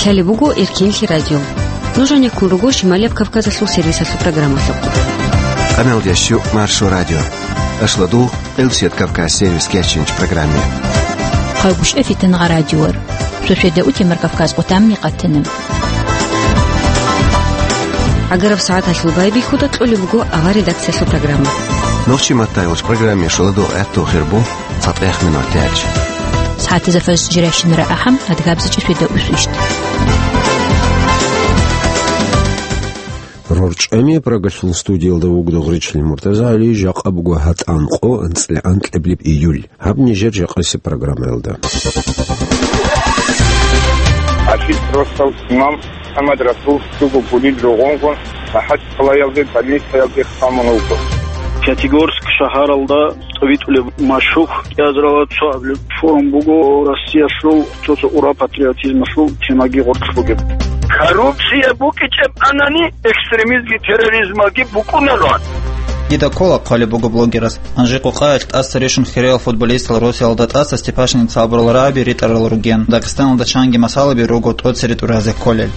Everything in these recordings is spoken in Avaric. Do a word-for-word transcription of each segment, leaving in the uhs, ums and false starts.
Лъалеб буго Эркинлъи радио. Нуж гьанеккун руго Шималияб Кавказалъул сервисалъул программалъухъ. Къамелдящу Маршо радио. Ашладу Элсет Кавказ сервис кечинч программе. Хъагуш эфитан радиор. Сосида утемар Кавказ къутамни къатана. Агараб сагӀаталъул байбихьуда кьолеб буго авар редакциялъул программа. Нохчи маттайолч программе шаладу гӀатту хирбу. ЦатӀех минут тяч. СагӀатазда фарз жиращинара ахӀам, адгабзичӀи сведа усвищт. РорчӀами Прагалъул студиялда вугда гъричил МуртазагӀали, жакъа буго гьатӀан къо анцӀила анкьаблеб июль. Гьаб нижер жакъасеб программаялда. Ашил росал имам МухӀаммад Расул цуго гулил рогъонгун МахӀачхъалаялде больницаялде хъамун вуго. Пятигорск шагьаралда витӀулеб машгьур кӀиазарала цо абилеб форум буго, Россиялъул цо-цо ура патриотизмалъул темаги гъоркь бугеб. Коррупция букӀичӀеб анани, экстремизмги терроризмалги букӀунароан. Дида ккола хъвалеб буго блогерас. Анжи-къукъаялъ тӀаса рищун хириял футболистал Русиялда тӀаса Степашинец абурал рагӀаби ритӀарал ругин. Дагъистаналда чанги масалаби руго тӀоцере тӀуразе кколел.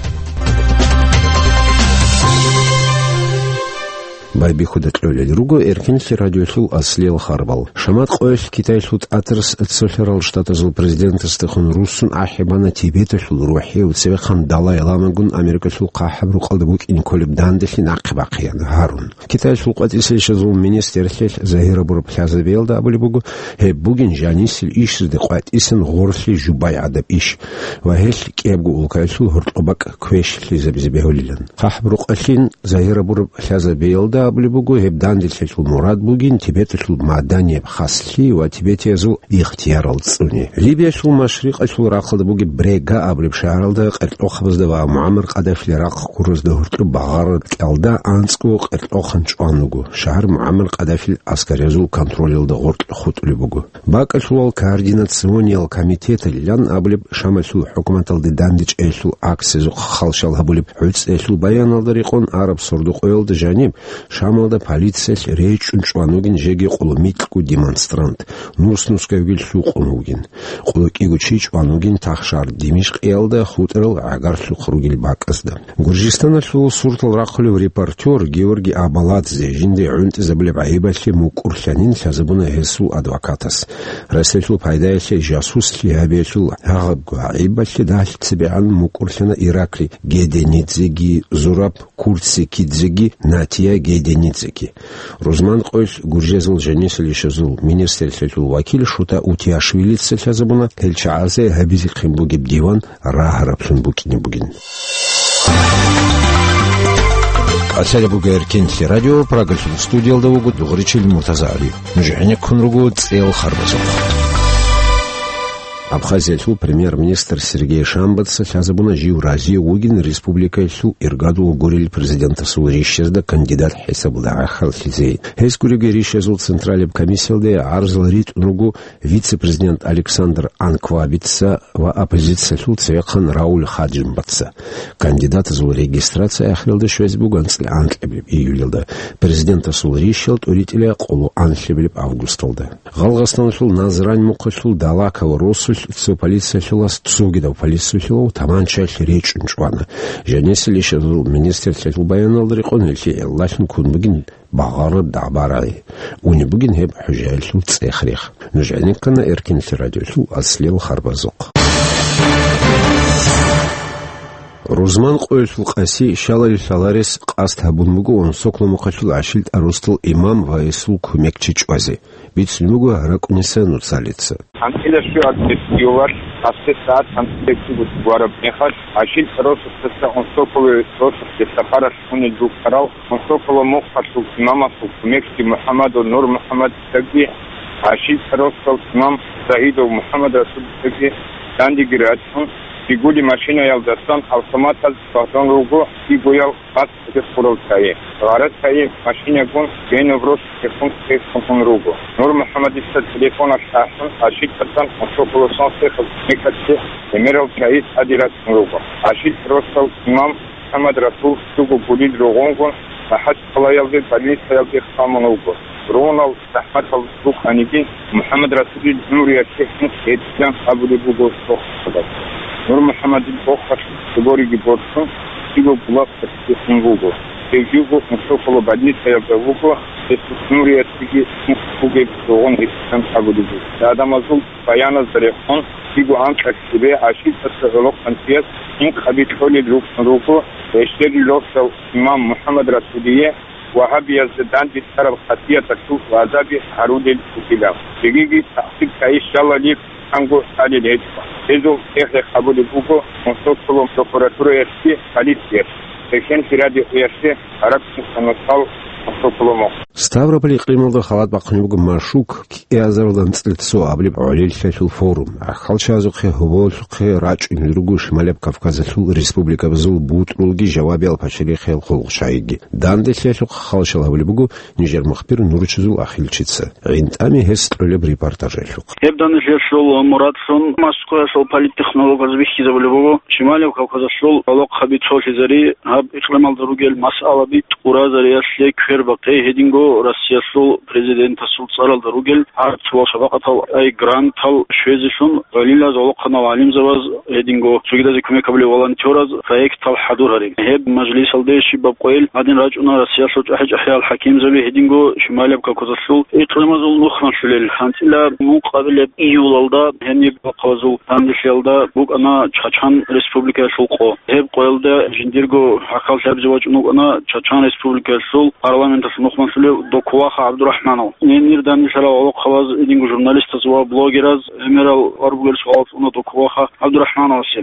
Байбихьуда кьолел руго Эркинлъи радиолъул аслиял харбал. Шамат къоялъ Китайлъул тӀатарас Цолъарал Штатазул президентасдехун руссун ахӀи бана Тибеталъул рухӀияв цевехъан Далай-ламагун Америкалъул хъахӀаб рукъалда букӀине кколеб данделъи нахъе бахъеян гьарун. Китайялъул къватӀисел ишазул министрлъи загьир гьабураб лъазабиялда абулеб буго, гьеб бугин жанисел ишазде къватӀисан гъорлъи жубай гӀадаб иш ва гьелъ кӀиябго улкаялъул гьоркьоб бакӀ квешлъизабизе бегьулилан. ХъахӀаб рукъалъин загьир гьабураб лъазабиялда абулеб буго, гьеб данделъиялъул мурад бугин Тибеталъул маданияб хаслъи ва тибетиязул ихтиярал цӀуни. Либиялъул машрикъалъул рахъалда бугеб Брега абулеб шагьаралда къеркьохъабазда ва МугӀаммар Къаддафил рахъ гуразда гьоркьоб багъараб кӀалда анцӀго къеркьохъан чӀван вуго. Шагьар МугӀаммар Къаддафил аскариязул контролалда гъоркь хутӀулеб буго. БакӀалъулал координациониял комитеталилан абулеб Шамалъул хӀукуматалде дандечӀеялъул акциязухъ халщал гьабулеб гӀуцӀиялъул баяналда рекъон араб сордо-къоялда жаниб Шамалда полициялъ речӀчӀун чӀван вугин жеги къоло микьго демонстрант, нус-нусгавги лъукъун вугин. Къоло кӀиго чи чӀван вугин тахшар Димишкъиялда хутӀарал гӀагарлъухъ ругел бакӀазда. Гуржистаналъул суртал рахъулев репортер Георгий Абаладзе жинде гӀунтӀизабулеб гӀайибалъе мукӀурлъанин лъазабуна гьесул адвокатас. Расиялъул пайдаялъе жасуслъи гьабиялъул гьагъабго гӀайибалъе дагьлъи цебегӀан мукӀурлъана Ираклий Геденидзеги Зураб Курцикидзеги Натия Геденидзеги. Рузман къоялъ гуржезул жанисел ишазул министрлъиялъул вакил Шута Утиашвилица лъазабуна гьел чагӀазе гьабизехъин бугеб диван рагьараблъун букӀине бугин. Лъалеб буго Эркинлъи радио, Прагалъул студиялда вуго дугъричил МуртазагӀали. Нуж гӀенеккун руго цӀел харбазухъ. Абхазиялъул премьер-министр Сергей Шамбатца лъазабуна жив разиев вугин республикаялъул иргадул гурел президентасул рищазда кандидат хӀисабалда гӀахьаллъизе. Гьес гуребги рищазул централаб комиссиялде гӀарзал ритӀун руго вице-президент Александр Анквабица ва оппозициялъул цевехъан Рауль Хаджимбатца. Кандидатазул регистрация ахиралда щвезе буго анцӀила анкьабилеб июлалда, президентасул рищал тӀуритӀила къоло анлъабилеб августалда. Гъалгъастаналъул Назрань мухъалъул Далаково росулъ цо полициялъулас цогидав полициялъулав таманчаялъ речӀчӀун чӀвана. Жанисел ишазул министрлъиялъул баяналда рекъон гьелъие гӀиллалъун ккун бугин багъараб дагӀба-рагӀи. Унеб бугин гьеб хӀужаялъул цӀех-рех. Нуж гӀенеккана Эркинлъи радиолъул аслиял харбазухъ. Рузман къоялъул Къаси щалали лъаларес къасд гьабун буго Онсокла мухъалъул ГӀашилтӀа росдал имам ва гьесул кумекчи чӀвазе. Бицун буго РакӀуниса Нуцалица. ГьанкӀила щуабилеб июлалъ, гьабсагӀат гьанкӀила чӀугулъ вараб мехалъ, ГӀашилтӀа росулъдаса Онсоколе росулъе сапаралъ унел рукӀарал Онсокола мухъалъул имамасул кумекчи МухӀаммадов Нур МухӀаммадицаги, ГӀашилтӀа росдал имам Саидов МухӀаммад Расулицаги дандеги рачун, Жигули машинаялдасан автоматаз багьун руго, кӀигоял къасд гьеб хурал чагӀи. Гъарачагъи машинагун гьениб росулъехун ккезе ккун руго. Нур МухӀаммадица телефоналъ ахӀун, ГӀашилтӀасан Онсоколасан цехалъ кумекалъе гӀемерал чагӀи тӀаде рачун руго. ГӀашилтӀа росдал имам МухӀаммад Расул цуго гулил рогъонгун МахӀачхъалаялде больницаялде хъамун вуго. Ронал захӀматал рукӀаниги, МухӀаммад Расулил гӀумруялъе гьункъ гьечӀилан абулеб буго цо хабар. Нур МухӀаммадил къокъалъ цогориги борцун, кӀиго булахъалъ хун буго. Гьев живго Мусухъула больницаялда вуго, гьесул нуриялъеги бугеб ругъун гьитӀан абулеб буго. Гьадамазул баяназда рехун, кӀиго анкьа лъебе гӀашикъаса гӀолохъанчияс инкъаби кьолел рукӀун руго, гьелъул росдал имам МухӀаммад Расулие вагьабиязда данде цӀараб хасияталъул гӀазаби гьарулел ругилан. Жегиги тахӀсир кайищалалихъанго лъалел гьечӀо. Гьезул цӀехӀе къабулеб буго Мусухъула прокуратураялъги полициялъги. Гьелъенлъи радиоялъе гьаракь мухъ. Ставрополь икълималда халат бахъунеб буго Машук кӀиазаралда анцӀила цо абулеб гӀолилъиялъул форум. ГӀахьалчагӀазухъе гьоболлъухъе рачӀунел руго Шималияб Кавказалъул республикабазул бутӀрулги жавабиял пачалихъиял хъулухъчагӀиги. Данделъиялъухъ хал-шал гьабулеб буго нижер мухбир Нуручизул Ахилчица. ГӀинтӀами гьес кьолеб репортажалъухъ. Гьеб данделъиялъул мурадлъун Москваялъул политтехнологаз бихьизабулеб буго, Шималияб Кавказалъул гӀолохъаби цолъизари, гьаб икълималда ругел масъалаби тӀуразариялъе квербахъе гьединго Россиялъул президентасул цӀаралда ругел гьарцул шапакъатал ай грантал щвезелъун гӀолилаз гӀолохъанал гӀалимзабаз гьединго цогидазе кумек гьабулев волонтераз проектал хӀадур гьарин. Гьеб мажлисалде щибаб къойил гьадин рачӀуна Россиялъул чӀахӀи-чӀахӀиял хӀакимзаби гьединго Шималияб Кавказалъул икълимазул нухмалъулел. ГьанцӀила мукъабилеб июлалда гьениб бахъавазул данделъиялда букӀана Чачан Республикаялъул къо. Гьеб къоялда жиндирго гӀахьаллъи гьабизе вачӀун вукӀана Чачан Республикаялъул парламенталъул нухмалъулев Докуваха ГӀабдурахӀманов. Гьенир данделъарал гӀолохъабаз, гьединго журналистаз ва блогераз гӀемерал гьарулел суал цӀуна Докуваха ГӀабдурахӀмановасе.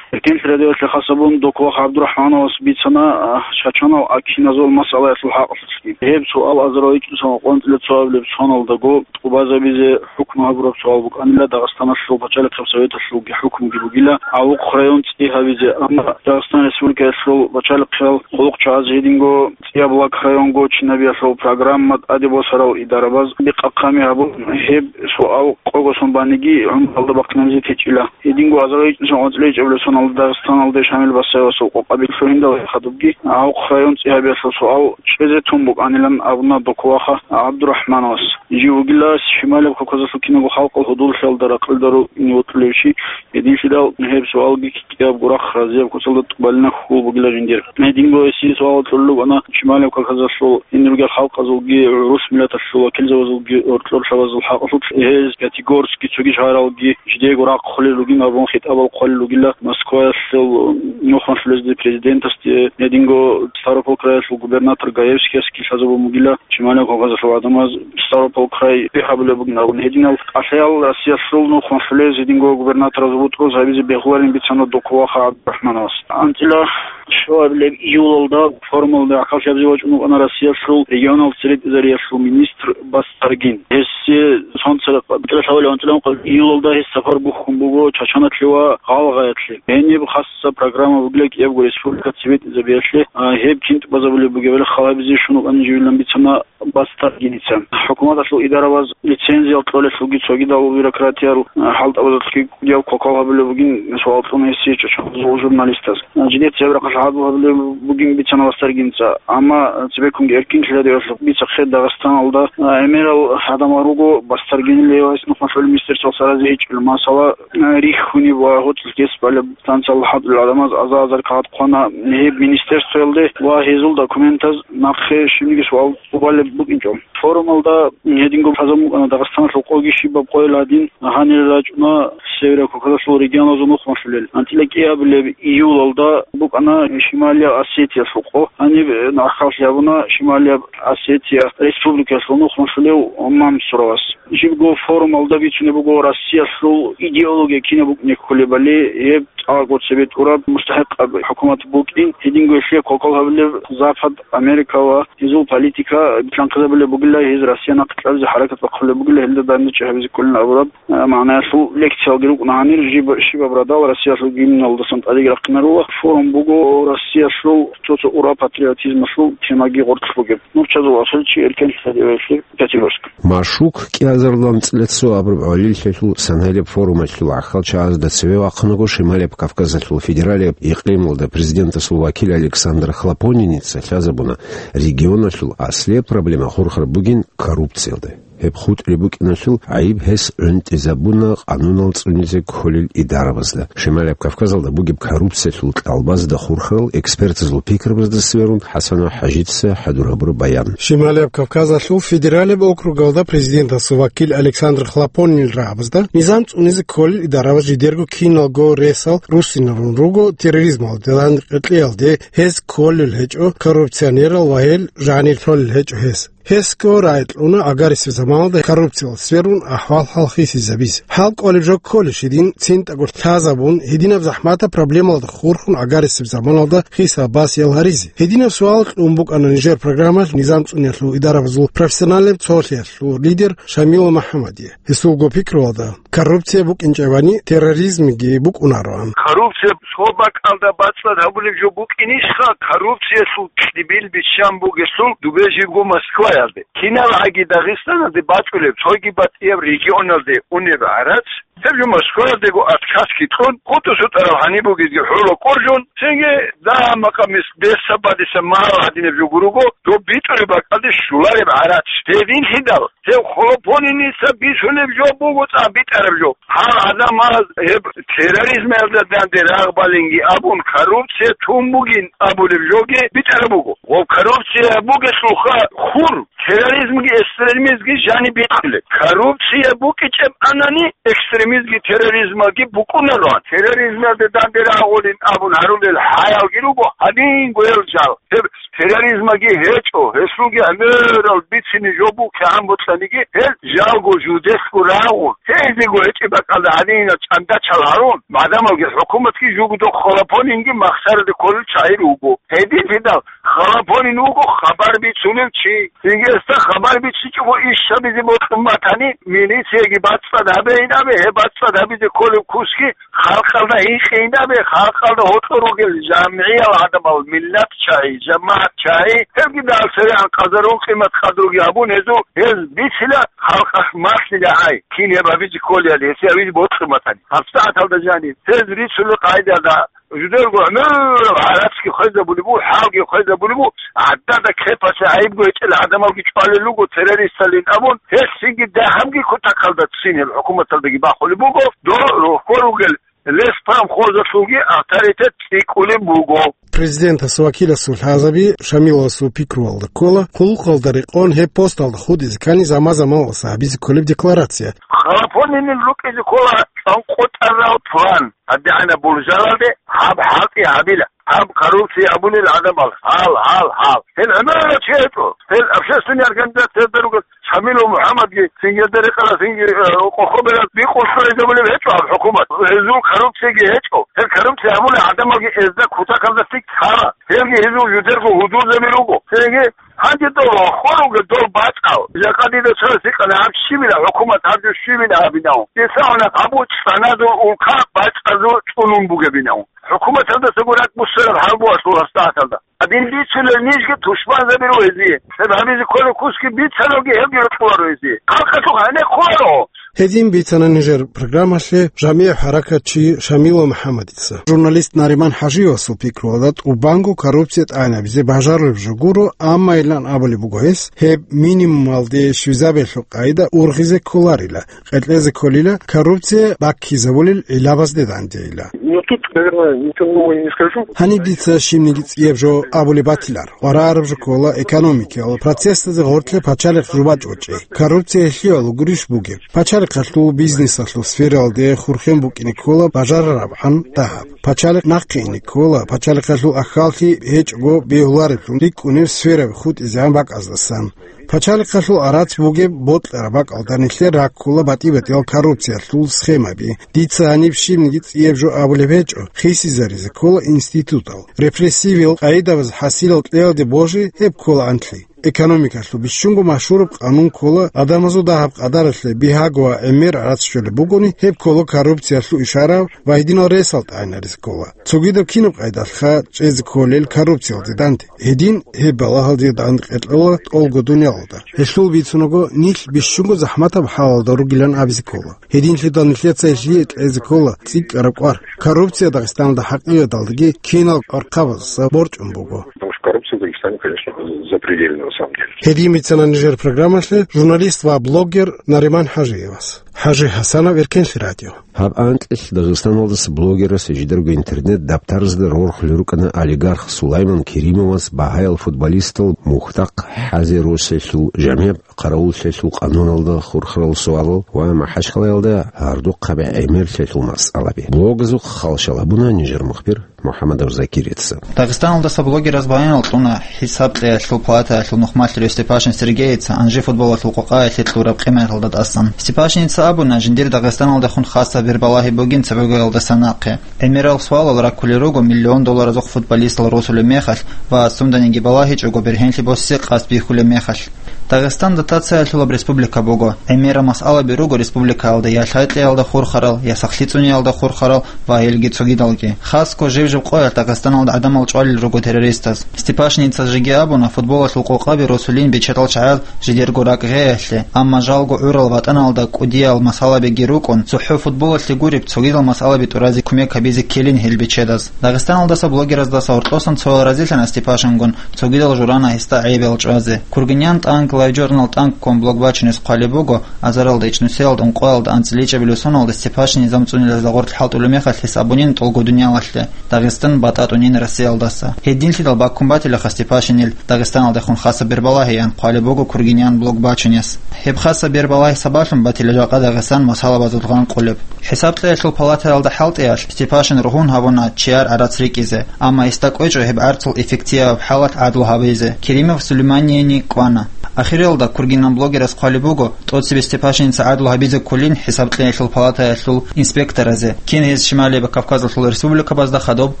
Эркенлъи радиоялъе хасабун Докуваха ГӀабдурахӀмановас бицана, а, Чачанал акиназул масъалаялъул хӀакъалъулъги. Гьеб суал азарал ичӀнусанал къванцӀила цоабилеб соналдаго тӀубазабизе хӀукму гьабураб суал букӀанила Дагъистаналъул пачалихъаб советалъулги хӀукмуги бугила Авухъ район цӀи гьабизе, амма Дагъистан Республикаялъул пачалихъиял хъулухъчагӀаз гьединго ЦӀияб лаг районго чинабиялъул программа тӀаде босарал идарабаз бикъахъами гьабун, гьеб суал къого сон баниги гӀумралда бахъинабизе течӀила. Гьединго азарал ичӀнусанал къванцӀила ичӀабилеб соналда Дагъистаналде Шамил Басаевасул къокъаби лъугьиндал хадубги, Авухъ район цӀи гьабиялъул суал чӀезе тун букӀанилан абуна Докуваха ГӀабдурахӀмановас. Жив вугила Шималияб Кавказалъул киналго халкъал гьудуллъиялда ракълида рукӀине вокьулев чи, гьединлъидал гьеб суалги кӀиябго рахъ разияб куцалда тӀубалина хьул бугила жиндир. Гьединго гьесие суал кьолел рукӀана Шималияб Кавказалъул гьениб ругел халкъазулги, гӀурус миллаталъул вакилзабазулги, гӀоркьор лъабазул хӀакъалъулъ гьез Пятигорский цоги шагьаралги жидеего рахъ хъулел ругин абун хитӀабал хъвалел ругила Москваялъул нухмалъулезде президентасде, гьединго Ставрополь краялъул губернатор Гаевскиясги лъазабун бугила Шималияб Кавказалъул гӀадамаз Ставрополь край бихьабулеб бугин абун. Гьединал кӀалъаял Россиялъул нухмалъулез гьединго губернатораз бутӀруз гьабизе бегьуларин бицана Докуваха ГӀабдурахӀмановас. АнцӀила щуабилеб июлалда форумалда гӀахьаллъи гьабизе вачӀун вукӀана Россиялъул регионал цере тӀезариялъул министр Бастаргин. Гьесие сонцара кьабитӀила лъавали анцӀила ункъабилеб июлалда гьес сапар бухьун буго Чачаналъе ва Гъалгъаялъе. Гьениб хасса программа бугила кӀиябго республика цебетӀизабиялъе, а, гьеб кин тӀубазабулеб бугебали хал гьабизе щун вукӀанин живилан бицана Бастаргиница. ХӀукуматалъул идарабаз лицензиял кьолелъулги цогидал бюрократиял, а, хӀалтӀабазулъги кӀудияб кокал гьабулеб бугин суал кьуна гьесие чӀочӀалъул журналистаз. А, жидеца гьеб рахъалъ гьадул гьабулеб бугин бицана Бастаргиница. Амма цебеккунги эркин лъиладиялъул бицахъе Дагъистаналда, а, гӀемерал гьадамал руго Бастаргинил гьев гьес нухмалъулеб министерствоялъ саразе гьечӀел. Масала, а, рихьуниб ва гьоцӀлъи гьес балеб станциялда хӀалтӀулел гӀадамаз аза-азар кагъат хъвана гьеб министерствоялде ва гьезул документаз нахъе щибниги суал тӀубалеб букӀинчӀо. Форумалда гьединго лъазабун букӀана Дагъистаналъул къоги щибаб къойил гьадин гьанир рачӀуна Северо-Кавказалъул регионазул нухмалъулел. АнцӀила кӀиабилеб июлалда букӀана Шималияб Осетиялъул къо. Гьаниб гӀахьаллъи гьабуна Шималияб Осетия республикаялъул нухмалъулев Мансуровас. Жибго форумалда бицунеб буго Россиялъул идеология кинаб букӀине кколебали, гьеб цӀакъго цебетӀураб мустахӀикъаб хӀукумат букӀин, гьединго гьелъие кокал гьабулеб Запад, Америка ва гьезул политика битлъанхъизабулеб бугила, гьез Россия нахъе кьабизе хӀаракат бахъулеб бугила, гьелда данде чӀи гьабизе кколин абураб, а, магӀнаялъул лекциялги рукӀуна гьанир жиб-, щибаб радал Россиялъул гимналдасан тӀадеги рахъинарула. Форум буго Россиялъул цо-цо ура патриотизмалъул темаги гъорлъ бугеб. Нурчазул Ахилчи, Эркен лъадиоялъе, Пятигорск. Машук кӀиазаралда анцӀила цо абураб гӀолилъиялъул санаялъ форумалъул гӀахьалчагӀазда цеве вахъунаго Шималияб Кавказалъул федералияб икълималда президентасул вакил Александр Хлопониница лъазабуна, регионалъул аслияб проблема хурхараб бугин коррупциялда. гьеб хутӀри букӀиналъул гӀайиб гьес гӀунтӀизабуна къанунал цӀунизе кколел идарабазда. Шималияб Кавказалда бугеб коррупциялъул кьалбазда хурхарал экспертазул пикрабазда сверун ХӀасанов ХӀажица хӀадур гьабураб баян. Шималияб Кавказалъул федералияб округалда президентасул вакил Александр Хлопонинил рагӀабазда низам цӀунизе кколел идарабаз жидерго киналго ресал руссинарун руго терроризмалде, лъикӀлъиялде гьез кколел гьечӀо, коррупционерал ва гьел жанир лъолел гьечӀо гьес. Гьесго рагӀи кьуна гӀагарисеб заманалда коррупциялъ сверун ахӀвал-хӀал хисизабизе. ХӀал кӀолеб жо кколищ гьедин цинтӀаго лъазабун, гьединаб захӀматаб проблемалда хурхун гӀагарисеб заманалда хисаб-басиял гьаризе? Гьединаб суал кьун букӀана нижер программалъ низам цӀуниялъул идарабазул профессионалияб цолъиялъул лидер Шамилов МухӀаммадие. Гьесулго пикруялда, коррупция букӀинчӀебани, терроризмги букӀунароан. Коррупция цо бакӀалда бацӀцӀад гьабулеб жо букӀинищха, коррупциялъул кьибил биччан бугелъул дубе жибго Москваялде? Кинал гӀаги Дагъистаналде бачӀулеб, цоги батӀияб регионалде унеб гӀарац, гьеб жо Москваялдего отказги кьун, хутӀу-сутӀараб гьаниб бугезги хӀула кӀоржун, цинги дагьаб-макъаб мис-, бесаб-бадиса магьал гьадинаб жо гуруго, доб битӀулеб бакӀалде щулареб гӀарац. Гьединлъидал гьев Хлопониница бицунеб жо буго цӀакъ битӀараб жо. Гьал гӀадамал гьеб терроризмалда данде рагъ балинги абун, коррупция тун бугин абулеб жоги битӀараб буго. Ва коррупция бугелъулха хур терроризмги экстремизмги жаниб битӀулеб. Коррупция букӀичӀеб анани, экстремизмги терроризмалги букӀунароан. Терроризмалде данде рагъулин абун гьарулел хӀаялги руго, гьанинго гьел жал. Гьеб терроризмаги гьечӀо, гьелъулги гӀемерал бицине жо букӀигӀан бокьаниги, гьел жалго жудесго рагъун, гьезего гьечӀеб бакӀалда гьадинал чӀандачал гьарун, гӀадамалги хӀукуматги жугьутӀ Хлопонинги махсараде кколел чагӀи руго. Гьединлъидал Хлопонин вуго хабар бицунев чи. Цинги гьесда хабар бичӀчӀичӀого иш гьабизе бокьун батани, милицияги бацӀцӀад гьабейин абе, гьеб бацӀцӀад гьабизе кколеб кусги халкъалда гьикъейин абе, халкъалда гьоркьор ругел жамгӀиял гӀадамал, миллат чагӀи, жамагӀат чагӀи, гьебги дагьал церегӀан къазарун къимат-къадруги гьабун гьезул, гьез бицила халкъалъ малъила гьай, кин гьеб гьабизе кколебали, гьесие гьабизе бокьун батани. ГьабсагӀаталда жаниб гьез рицунел къагӀидалда жидерго гӀемераб гӀарацги хвезабулеб буго, хӀалги хвезабулеб буго, гӀадада кепасе гӀайибго гьечӀел гӀадамалги чӀвалел руго террористалин абун, гьелъинги дагьабги кутакалда цин гьел хӀукуматалдаги бахулеб буго, дол рохьго ругел леспромхозалъулги авторитет цӀикӀкӀулеб буго. Президентас вакиласул лъазаби Шамиловасул пикруялда ккола, хъулухъалда рекъон гьеб посталда хутӀизе ккани заман-заманалъ гьабизе кколеб декларация. Хлопонинил рукӀине ккола цӀанкъотӀарал план. ГьадигӀанаб болжаралде гьаб хӀалтӀи гьабила, гьаб коррупция абулел гӀадамал, гьал, гьал, гьал. Гьел гӀемерал чи гьечӀо, гьел общественный организациялда ругел Шамилов МухӀаммадги, цинги гьелда рекъарал цинги, э, къохоберал бикъулъ хвезабулеб гьечӀо гьаб хӀукумат. Гьезул коррупцияги гьечӀо. Гьел коррупция гьабулел гӀадамалги гьезда кутакалда лъикӀ лъала. Гьелги гьезул жидерго гьудулзаби руго. Цинги гьанже дол рохьо руго дол бачӀал. Жакъа дида цо гьикъана гьаб щибила хӀукумат, гьаб жо щибила гьабинав. Дица гьанаб гьаб цӀаназул улка бачӀазул цӀунун бугебинав. ХӀукуматалдасаго ракӀ буссараб хӀал буго гьасул гьасдагьаталда. Гьадин бицунел нижги тушманзаби руго гьезие. Гьеб гьабизе кколеб кусги бицаналги гьебги рокьуларо гьезие. Халкъалъухъ гьенеккуларо. Гьедин бицана нижер программалъе жамигӀ хӀаракатчи Шамилов МухӀаммадица. Журналист Нариман ХӀажиевасул пикруялда тӀубанго коррупция тӀагӀинабизе бажарулеб жо гуро, амма илан абулеб буго гьес, гьеб минимумалде щвезабиялъул къагӀида ургъизе кколарила, къеркьезе кколила коррупция баккизабулел гӀилабазде дандейила. Ну, тут, наверное, ничего нового не скажу. Гьаниб дица щибниги цӀияб жо абулеб батилар. КъваригӀараб жо ккола экономикиял процессазе гъоркье пачалихъ жубачӀ бачӀи. Коррупция гьелъиялъул гурищ бугеб? Пачалихъалъул бизнесалъул сфералде хурхен букӀине ккола бажарарабгӀан дагьаб. Пачалихъ нахъе ине ккола, пачалихъалъул ахьаллъи гьечӀого бегьулареблъун рикӀкӀунеб сфераби хутӀизегӀан бакӀаздасан. Пачалихъалъул гӀарац бугеб бокьараб бакӀалда нилъер раккула батӀи-батӀиял коррупциялъул схемаби. Дица гьаниб щибниги цӀияб жо абулеб гьечӀо, хисизаризе ккола институтал. Репрессивиял къагӀидабаз хӀасилал кьеялде божи гьеб ккола анлъи. Экономикалъул бищунго машгьураб къанун ккола, гӀадамазул дагьаб-къадаралъе бигьаго ва гӀемер гӀарац щолеб бугони, гьеб ккола коррупциялъул ишара ва гьединал ресал тӀагӀинаризе ккола. Цогидаб кинаб къайдалъха чӀезе кколел коррупциялде данде? Гьедин гьеб балагьалде данде къеркьола тӀолго дуниялалда. Гьелъул бицунаго, нилъ бищунго захӀматаб хӀалалда ругилан абизе ккола. Гьединлъидал нилъеца гьелъие кьезе ккола цӀикӀкӀараб кӀвар. Коррупция Дагъистаналда хӀакъикъаталдаги кинал къвархъабаздаса борчӀун буго. Потому что коррупция в Дагестане Там, конечно, запредельно, на самом деле. Гьедин бицана нижер программалъе журналист ва блогер Нариман ХӀажиевас. ХӀажи ХӀасанов, Эркенлъи радио. Гьаб анкьилъ Дагъистаналдаса блогерас жидерго интернет-дабтарзда рорхулел рукӀана олигарх Сулайман Керимовас багьаял футболистал мухьдахъ хӀазе росиялъул жамигӀ къаравуллъиялъул къануналда хурхарал суалал ва МахӀачхъалаялда гьардухъаби гӀемерлъиялъул масъалаби. Блогазухъ хал щвал гьабуна нижер мухбир МухӀаммадов Закирица. Дагъистаналдаса блогераз баянал кьуна ХӀисаб кьеялъул палатаялъул нухмалъулев Степашин Сергейица Анжи футболалъул къокъаялъе кьураб къиматалда тӀасан. Степашиница абуна, жиндир Дагъистаналдехун хасаб бербалагьи бугин цебегоялдаса нахъе. ГӀемерал суалал раккулел руго миллион долларазухъ футболистал росулеб мехалъ ва сунданиги балагьичӀого бергьенлъи босе къасд бихьулеб мехалъ. Дагъистан дотациялъулаб республика буго. ГӀемерал масъалаби руго республикаялда я лъай кьеялда хурхарал, я сахлъи цӀуниялда хурхарал ва гьелги цогидалги. Хасго жиб-жиб къоялъ Дагъистаналда гӀадамал чӀвалел руго террористаз. Степашиница жеги абуна, футболалъул къокъаби росулин бечедал чагӀаз жидерго ракӀ гъеялъе, амма жалго гӀурал ватӀаналда кӀудиял масъалабиги рукӀун, цохӀо футболалъе гуреб цогидал масъалаби тӀуразе кумек гьабизе ккелин гьел бечедаз. Дагъистаналдаса блогераздаса гьоркьосан цоял разилъана Степашингун, цогидал журана гьесда гӀайибал чӀвазе. Кургинян тӀанк LiveJournal тӀанк ком блог бачунес хъвалеб буго, азаралда ичӀнусиялда ункъоялда анцӀила ичӀабилеб соналда Степашин низам цӀунилазда гъорлъ хӀалтӀулеб мехалъ гьес абунин тӀолго дуниялалъе, Дагъистан батӀа тӀунин Россиялдаса. Гьединлъидал баккун батилаха Степашинил Дагъистаналдехун хасаб бербалагьиян хъвалеб буго Кургинян блог бачунес. Гьеб хасаб бербалагьи сабаблъун батила жакъа Дагъистан масъалабазул гъанкъулеб. ХӀисаб кьеялъул палатаялда хӀалтӀиялъ Степашин ругьун гьабуна чияр гӀарац рикӀкӀизе, амма гьесда кӀвечӀо гьеб гӀарцул эффектияб хӀалалъ гӀадлу гьабизе. Керимов Сулейманиени кӀвана. Ахиралда Кургинян блогерас хъвалеб буго, тӀоцебе Степашиница гӀадлу гьабизе кколин ХӀисаб кьеялъул палатаялъул инспекторазе, кин гьез Шималияб Кавказалъул республикабазда хадуб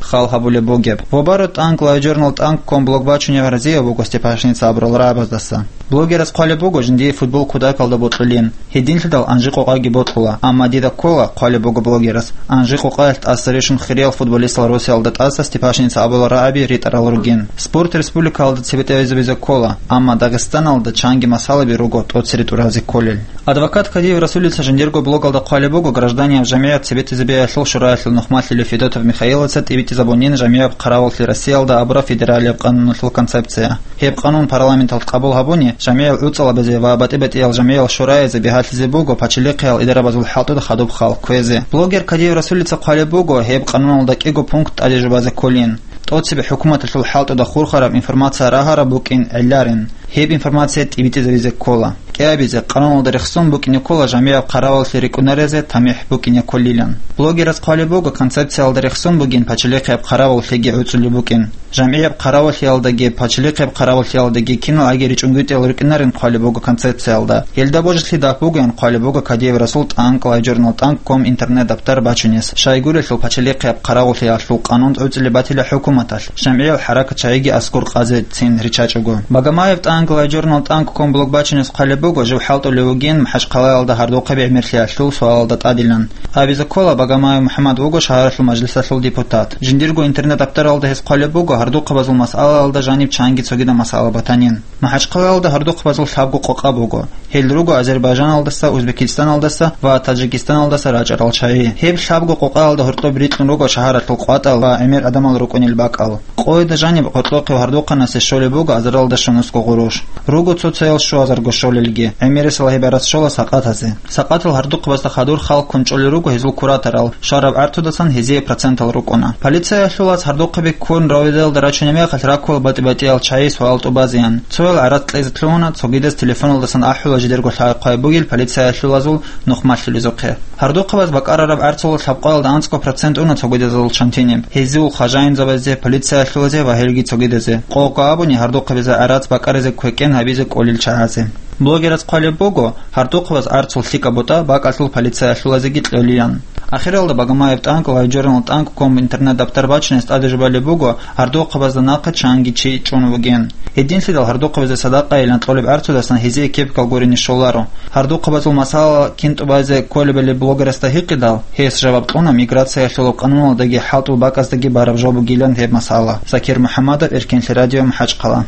хал гьабулеб бугеб. Вобаро тӀанк LiveJournal тӀанк ком блог бачунев разияб буго Степашиница абурал рагӀабаздаса. Блогерас хъвалеб буго, жиндие футбол кутакалда бокьулин. Гьединлъидал анжи-къокъаги бокьула, амма дида ккола, хъвалеб буго блогерас, анжи-къокъаялъ тӀаса рещун хириял футболистал росиялда тӀаса Степашиница абулал рагӀаби ритӀарал ругин. Спорт республикаялда цебетӀезабизе ккола, амма Дагъистаналда чанги масъалаби руго тӀоцере тӀуразе кколел. Адвокат Кадиев Расулица жиндирго блогалда хъвалеб буго гражданияв жамигӀат цебетӀезабиялъул шураялъул нухмалъулев Федотов Михаилица тӀибитӀизабунин жамигӀаб хъаравуллъи Россиялда абураб федералияб къануналъул концепция. Гьеб къанун парламенталъ къабул гьабуни, жамигӀал гӀуцӀалабазе ва батӀи-батӀиял жамигӀал шораязе бигьалъизе буго пачалихъиял идарабазул хӀалтӀуда хадуб хал кквезе. Блогер Кадиев Расулица хъвалеб буго гьеб къануналда кӀиго пункт тӀаде жубазе кколин. ТӀоцебе хӀукуматалъул хӀалтӀуда хурхараб информация рагьараб букӀин гӀилларин, гьеб информация тӀибитӀизабизе ккола. КӀиабизе, къануналда рехсон букӀине ккола жамигӀаб хъараваллъи рикӀкӀунарезе тамихӀ букӀине кколилан. Блогерас хъвалеб буго, концепциялда рехсон бугин пачалихъияб хъараваллъиги гӀуцӀулеб букӀин. ЖамигӀаб хъараваллъиялдаги пачалихъияб хъараваллъиялдаги киналги ричӀунгутӀиялъ рукӀинарин хъвалеб буго концепциялда. Гьелда божилъидал бугоян хъвалеб буго Кадиев Расул тӀанк LiveJournal тӀанк ком интернет-дабтар бачунес, щайгурелъул пачалихъияб хъараваллъиялъул къанун гӀуцӀулеб батила хӀукуматалъ, жамигӀал хӀаракат чагӀиги аскӀор къазе цин риччачӀого. Багамаев тӀанк LiveJournal тӀанк ком блог бачунес хъвалеб буго жив хӀалтӀулев вугин МахӀачхъалаялда гьардухъаби гӀемерлъиялъул суалалда тӀадилан. Абизе ккола, Багамаев МухӀаммад вуго шагьаралъул мажлисалъул депутат. Жиндирго интернет-дабтаралда гьес хъвалеб буго гьардухъабазул масъалаялда жаниб чанги цогидаб масъала батанин. МахӀачхъалаялда гьардухъабазул лъабго къокъа буго. Гьел руго Азербайжаналдаса, Узбекистаналдаса ва Таджикистаналдаса рачӀарал чагӀи. Гьеб лъабго къокъаялда гьоркьоб рикьун руго шагьаралъул къватӀал ва гӀемер гӀадамал рукӀунел бакӀал. Къойда жаниб гьоркьохъев гьардухъанасе щолеб буго азаралда щунусго гъурущ. Руго цоцаял щуазарго щолелги, гӀемерисел гьеб гӀарац щола сакъатазе. Сакъатал гьардухъабазда хадур хал ккун чӀолел руго гьезул кураторал, щвараб гӀарцудасан гьезие процентал рукӀуна. Полициялъулаз гьардухъаби ккун равидаялда рачунеб мехалъ раккула батӀи-батӀиял чагӀи суал тӀубазеян. Цоял гӀарац кьезе лъугьуна, цогидаз телефоналдасан ахӀула жидерго лъай-хъвай бугел полициялъулазул нухмалъулезухъе. Гьардухъабаз бакӀарараб гӀарцул лъабкъоялда анцӀго процент уна цогидазул чантиниб, гьезул хажаинзабазе, полициялъулазе ва гьелги цогидазе. Къокъ абуни гьардухъабизе гӀарац бакӀаризе квекӀен гьабизе кӀолел чагӀазе. Блогерас хъвалеб буго, гьардухъабаз гӀарцул лъикӀаб бутӀа бакӀалъул полициялъулазеги кьолилан. Ахиралда Багамаев тӀанк LiveJournal тӀанк ком интернет-дабтар бачунес тӀаде жубалеб буго, гьардухъабазда нахъе чанги чи чӀун вугин. Гьединлъидал гьардухъабазе садакъайилан кьолеб гӀарцудасан гьезие кепкал гурине щоларо. Гьардухъабазул масъала кин тӀубазе кколебали блогерасда гьикъидал, гьес жаваб кьуна миграциялъулаб къануналдаги хӀалтӀул бакӀаздаги бараб жо бугилан гьеб масъала. Закир МухӀаммадов, Эркенлъи радио, МахӀачхъала.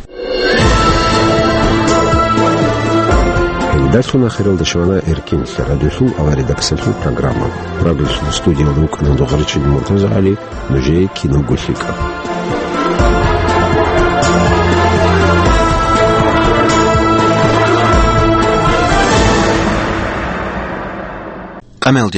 Гьелдалъун ахиралда щвана Эркенлъи радиолъул авария-дакасалъул программа. Радиолъул студиялда вукӀана Дугъаричил МуртазагӀали, нужее кинабго лъикӀаб. Амел